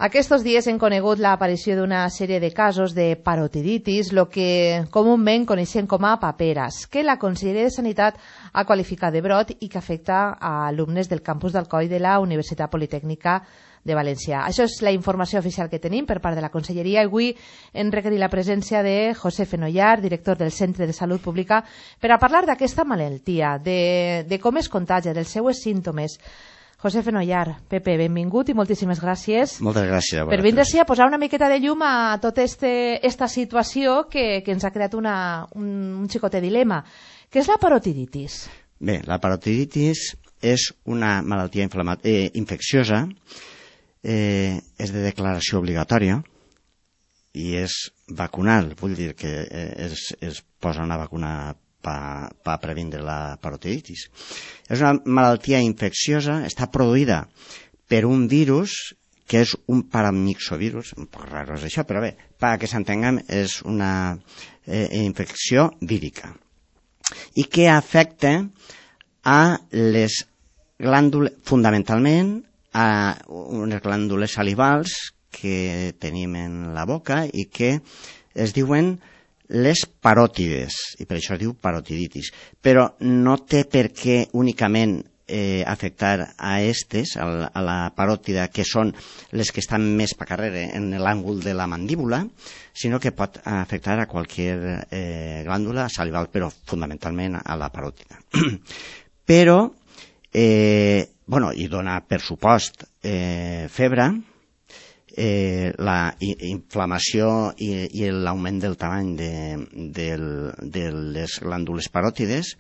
Aquests dies hem conegut l'aparició d'una sèrie de casos de parotiditis, el que comúment coneixem com a paperes, que la Conselleria de Sanitat ha qualificat de brot i que afecta a alumnes del campus d'Alcoi de la Universitat Politècnica de València. Això és la informació oficial que tenim per part de la Conselleria. Avui hem requerit la presència de José Fenollar, director del Centre de Salut Pública, per a parlar d'aquesta malaltia, de com es contagia, dels seus símptomes. José Fenollar, Pepe, benvingut i moltíssimes gràcies. Moltes gràcies a vosaltres. Per vindre a posar una miqueta de llum a tota esta situació que ens ha creat un xicotet dilema. Què és la parotiditis? Bé, la parotiditis és una malaltia infecciosa, és de declaració obligatòria i és vacunal, vull dir que es posa una vacuna per previndre la parotiditis. És una malaltia infecciosa, està produïda per un virus que és un paramyxovirus, un poc raro és això, però bé, perquè s'entenguem, és una infecció vírica i que afecta a les glàndules, fundamentalment a unes glàndules salivals que tenim en la boca i que es diuen les paròtides, i per això es diu parotiditis. Però no té per què únicament afectar a la paròtida, que són les que estan més per carrere en l'àngul de la mandíbula, sinó que pot afectar a qualsevol glàndula salival, però fundamentalment a la paròtida. Però, i dona per supost febre, la inflamació i l'augment del tamany de les glàndules paròtides,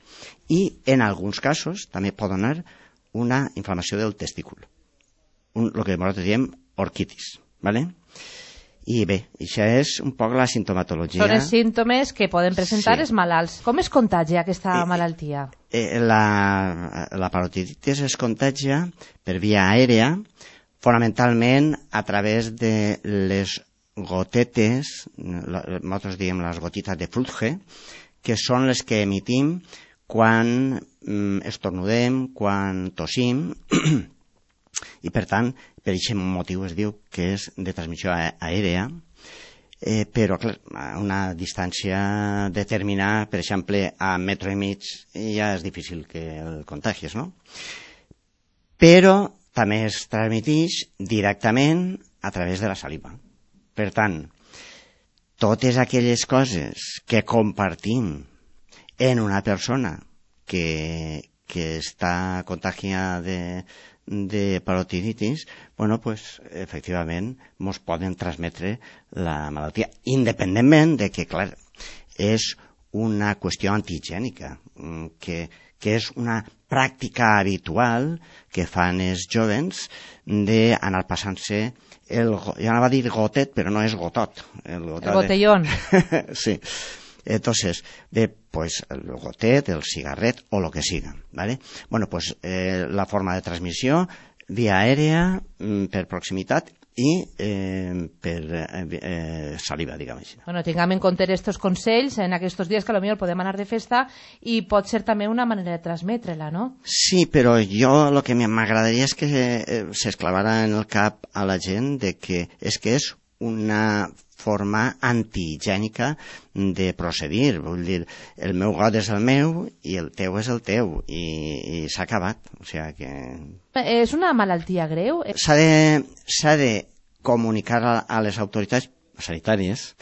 i en alguns casos també pot donar una inflamació del testícul, el que nosaltres diem orquitis, ¿vale? I bé, això és un poc la sintomatologia. Són els símptomes que poden presentar els malalts. Com es contagia aquesta malaltia? La parotiditis es contagia per via aèria, fonamentalment a través de les gotetes, nosaltres diem les gotites de Frutge, que són les que emitim quan estornudem, quan tossim, i per tant, per aquest motiu es diu que és de transmissió aèrea, però clar, a una distància determinada, per exemple, a metro i mig, ja és difícil que el contagis, no? Però també es transmeteix directament a través de la saliva. Per tant, totes aquelles coses que compartim en una persona que està contagiada de parotiditis, efectivament, ens poden transmetre la malaltia, independentment de que, clar, és una qüestió antigènica, que és una pràctica habitual que fan els jovens d'anar passant-se jo anava a dir gotet, però no és gotot. El botellón. Sí. Entonces, pues el gotet, el cigarret o lo que siga, ¿vale? Bueno, pues la forma de transmissió via aèria, per proximitat i per saliva, diguem així. Bueno, tinguem en compte aquests consells en aquests dies que potser podem anar de festa i pot ser també una manera de transmetre-la, no? Sí, però jo el que m'agradaria és que s'esclavara en el cap a la gent de que és una forma antihigiènica de procedir. Vull dir, el meu got és el meu i el teu és el teu, i s'ha acabat. O sigui que... És una malaltia greu? S'ha de comunicar a les autoritats sanitàries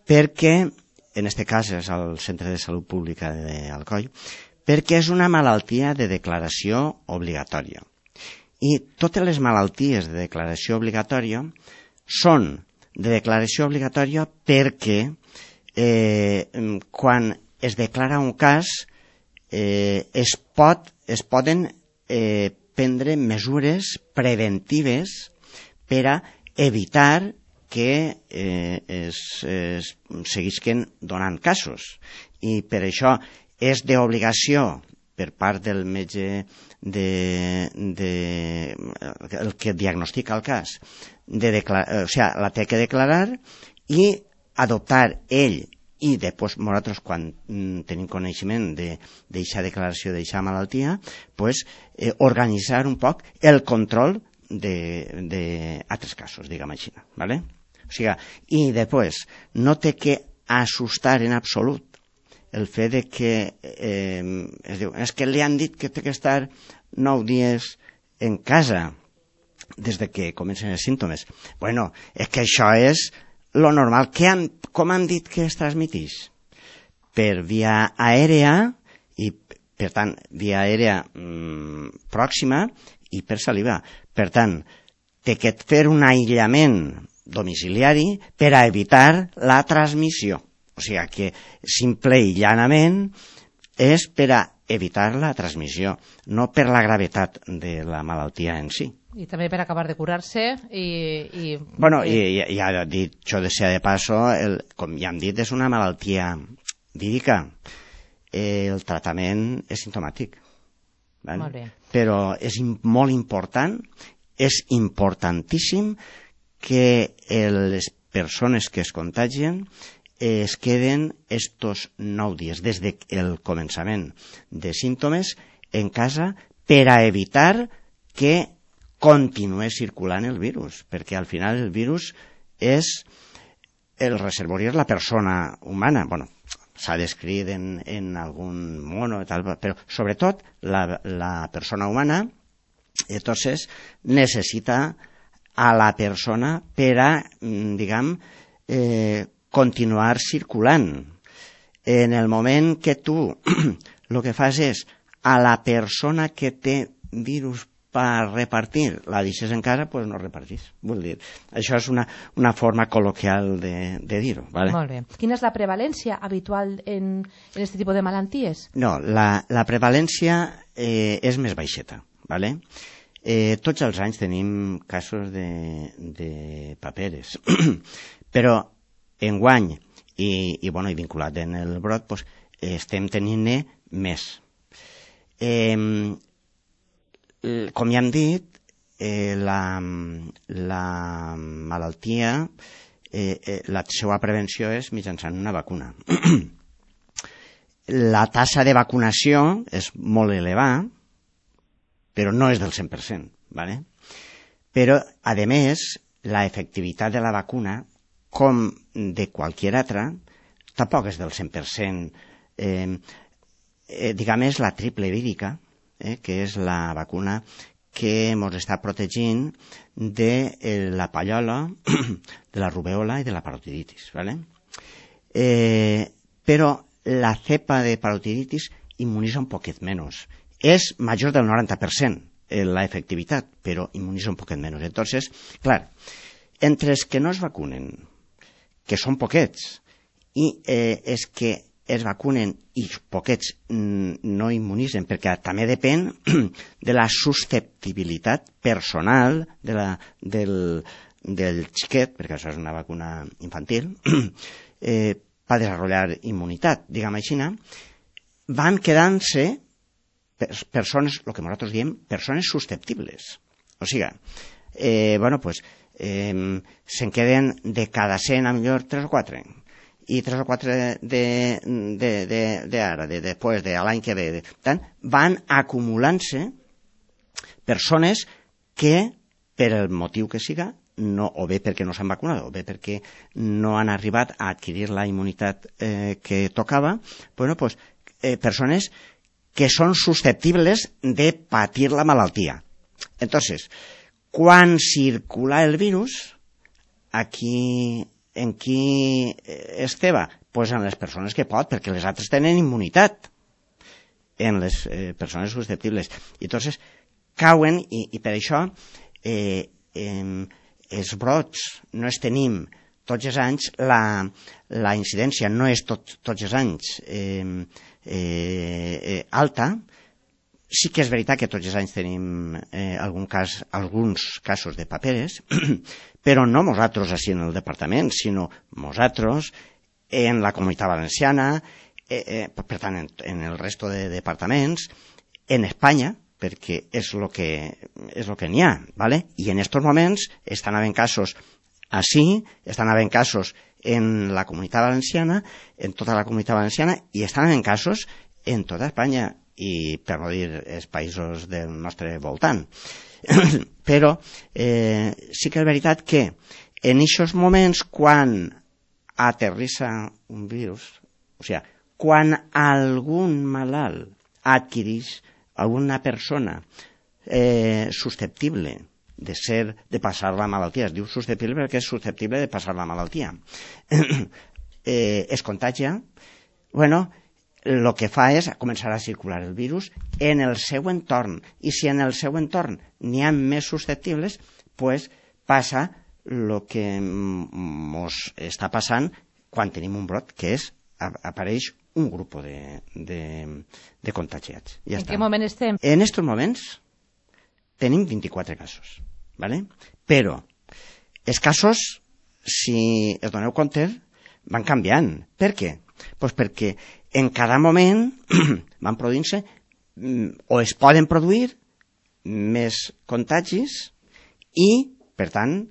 perquè, en aquest cas és el Centre de Salut Pública d'Alcoi, perquè és una malaltia de declaració obligatòria. I totes les malalties de declaració obligatòria són de declaració obligatòria perquè quan es declara un cas es poden prendre mesures preventives per a evitar que es seguisquen donant casos. I per això és d'obligació per part del metge el que diagnostica el cas, la té que declarar i adoptar ell, i després nosaltres, quan tenim coneixement d'aquesta declaració, d'aquesta malaltia, organitzar un poc el control d'altres casos, diguem així, ¿vale? O sigui, i després, no té que assustar en absolut el fet de que es diu, és que li han dit que té que estar 9 dies en casa des de que comencen els símptomes. Bueno, és que això és lo normal. Com han dit que es transmiteix? Per via aèrea, i per tant, via aèrea pròxima i per saliva. Per tant, té que fer un aïllament domiciliari per a evitar la transmissió. O sigui que simple i llanament és per a evitar la transmissió, no per la gravetat de la malaltia en si. I també per acabar de curar-se Bueno, i ja dit, això de ser de paso, com ja hem dit, és una malaltia vírica. El tractament és simptomàtic. Vale? Molt bé. Però és molt important, és importantíssim que les persones que es contagien es queden estos 9 dies des del començament de símptomes en casa per a evitar que continuï circulant el virus, perquè al final el virus és el reservori és la persona humana. Bueno, s'ha descrit en algun mono i tal, però sobretot la persona humana entonces necessita a la persona per a, diguem, continuar circulant. En el moment que tu el que fas és a la persona que té virus per repartir, la deixes en casa, doncs no repartís. Vull dir, això és una forma col·loquial de dir-ho. ¿Vale? Molt bé. Quina és la prevalència habitual en aquest tipus de malalties? No, la prevalència és més baixeta. ¿Vale? Tots els anys tenim casos de paperes, però enguany i vinculat en el brot doncs, estem tenint-ne més. Com ja hem dit, la malaltia, la seva prevenció és mitjançant una vacuna. La tassa de vacunació és molt elevada, però no és del 100%, ¿vale? Però, a més, la efectivitat de la vacuna, com de qualsevol altra, tampoc és del 100%. Diguem, és la triple vírica, que és la vacuna que ens està protegint de la pallola, de la rubèola i de la parotiditis, ¿vale? Però la cepa de parotiditis immunitza un poquet menys. És major del 90% la efectivitat, però immunitza un poquet menys. Entonces, clar, entre els que no es vacunen, que són poquets, i els que es vacunen i poquets no immunitzen, perquè també depèn de la susceptibilitat personal del xiquet, perquè això és una vacuna infantil, per desenvolupar immunitat, diguem així, van quedant-se persones, el que nosaltres diem, persones susceptibles. O sigui, se'n queden de cada 100 a millor 3 o 4, i 3 o 4 d'ara, després de l'any que ve. Tant, van acumulant-se persones que, per el motiu que siga, o bé perquè no s'han vacunat, o bé perquè no han arribat a adquirir la immunitat que tocava, persones que són susceptibles de patir la malaltia. Entonces, quan circula el virus, en qui esteva? Pues en les persones que pot, perquè les altres tenen immunitat, en les persones susceptibles. I entonces cauen, i per això els brots no es tenim tots els anys, la incidència no és tots els anys alta. Sí que és veritat que tots els anys tenim alguns casos de paperes, però no nosaltres així en el departament, sinó nosaltres en la Comunitat Valenciana, per tant en el resto de departaments, en Espanya, perquè és el que n'hi ha, ¿vale? I en aquests moments estan havent casos així, estan havent casos en la Comunitat Valenciana, en tota la Comunitat Valenciana, i estan havent casos en tota Espanya, i per no dir els països del nostre voltant. Però sí que és veritat que en aquests moments, quan aterrissa un virus, o sigui, quan algun malalt adquireix, alguna persona susceptible de passar la malaltia, es diu susceptible perquè és susceptible de passar la malaltia, es contagia, bueno, el que fa és començar a circular el virus en el seu entorn, i si en el seu entorn n'hi ha més susceptibles, pues passa el que ens està passant quan tenim un brot, que és apareix un grup de contagiats. Ja en què moment estem? En aquests moments tenim 24 casos, ¿vale? Però els casos, si es doneu compte, van canviant. Per què? Pues perquè en cada moment van produint-se o es poden produir més contagis i, per tant,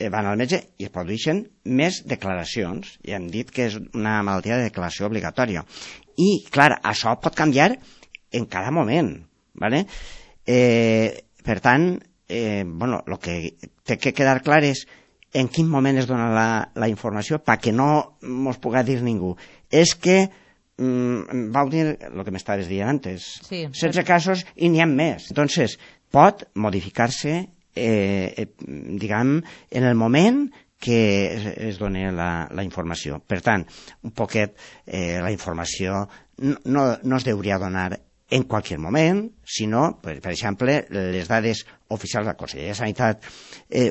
van al metge i es produeixen més declaracions. Ja hem dit que és una malaltia de declaració obligatòria. I, clar, això pot canviar en cada moment, ¿vale? Per tant, bueno, el que té que quedar clar és en quin moment es dona la informació perquè no mos pugui dir ningú. És que vau dir el que m'estaves dient antes. Sí, 16 casos i n'hi ha més. Entonces, pot modificar-se, diguem, en el moment que es doni la informació. Per tant, un poquet la informació no es hauria donar en qualsevol moment, sinó, per exemple, les dades oficials de la Conselleria de Sanitat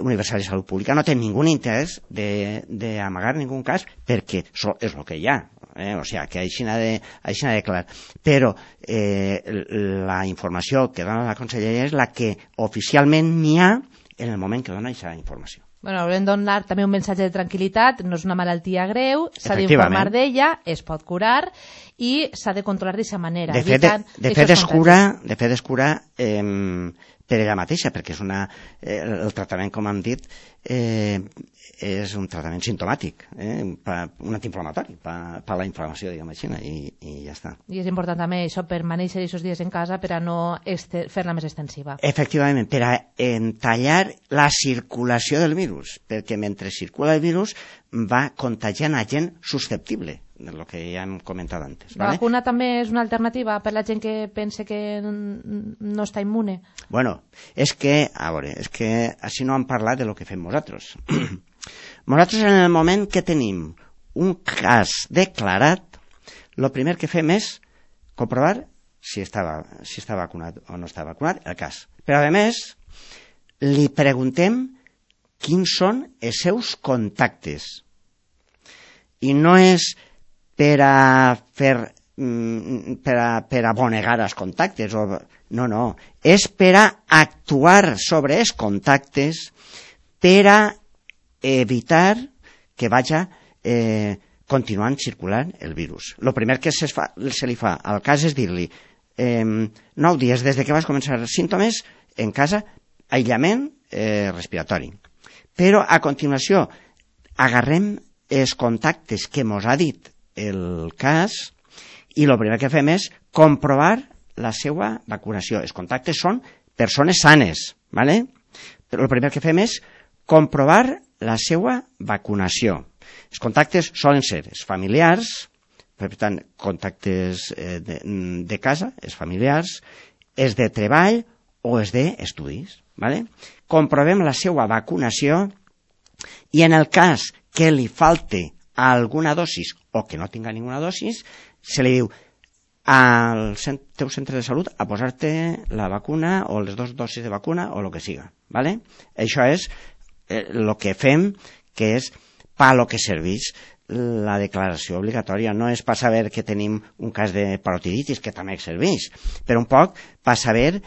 Universal i Salut Pública no tenen ningú interès d'amagar ningú cas perquè és el que hi ha. O sigui, que així n'ha de clar. Però la informació que dona la Conselleria és la que oficialment n'hi ha en el moment que dona aquesta informació. Bueno, haurem de donar també un missatge de tranquil·litat, no és una malaltia greu, s'ha d'informar d'ella, es pot curar i s'ha de controlar d'aquesta manera. De fet es cura per ella mateixa, perquè és el tractament, com hem dit, és un tractament simptomàtic, un antiinflamatori, per la inflamació, diguem així, i ja està. I és important també això per manejar aquests dies en casa per a no fer-la més extensiva. Efectivament, per a tallar la circulació del virus, perquè mentre circula el virus va contagiant a gent susceptible, el que ja hem comentat antes. La vacuna també és una alternativa per la gent que pensa que no està immune? Bueno, és que així no hem parlat de lo que fem nosaltres. Nosaltres, en el moment que tenim un cas declarat, el primer que fem és comprovar si està vacunat o no està vacunat, el cas. Però, a més, li preguntem quins són els seus contactes. I no és per abonegar els contactes. No. És per a actuar sobre els contactes per a evitar que vagi continuant circulant el virus. El primer que se li fa al cas és dir-li 9 dies des que vas començar els símptomes en casa, aïllament respiratori. Però a continuació agarrem els contactes que mos ha dit el cas i el primer que fem és comprovar la seva vacunació. Els contactes són persones sanes, ¿vale? Però el primer que fem és comprovar la seva vacunació. Els contactes solen ser els familiars, per tant, contactes de casa, els familiars, els de treball o els d'estudis, ¿vale? Comprovem la seva vacunació i en el cas que li falte alguna dosis o que no tinga ninguna dosis, se li diu al teu centre de salut a posar-te la vacuna o les 2 dosis de vacuna o el que siga, ¿vale? Això és el que fem, que és per lo que serveix la declaració obligatòria. No és per saber que tenim un cas de parotiditis, que també serveix, però un poc per saber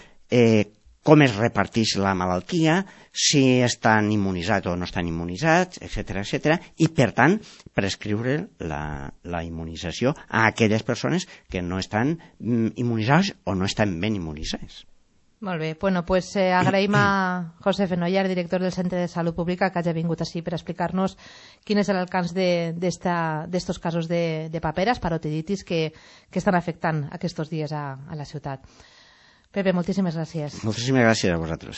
com es reparteix la malaltia, si estan immunitzats o no estan immunitzats, etc. I, per tant, prescriure la immunització a aquelles persones que no estan immunitzades o no estan ben immunitzades. Molt bé, bueno, pues agraïm a José Fenollar, director del Centre de Salut Pública, que hagi vingut així per explicar-nos quin és l'alcance d'estos casos de paperas, parotiditis, que estan afectant aquests dies a la ciutat. Pepe, moltíssimes gràcies. Moltíssimes gràcies a vosaltres.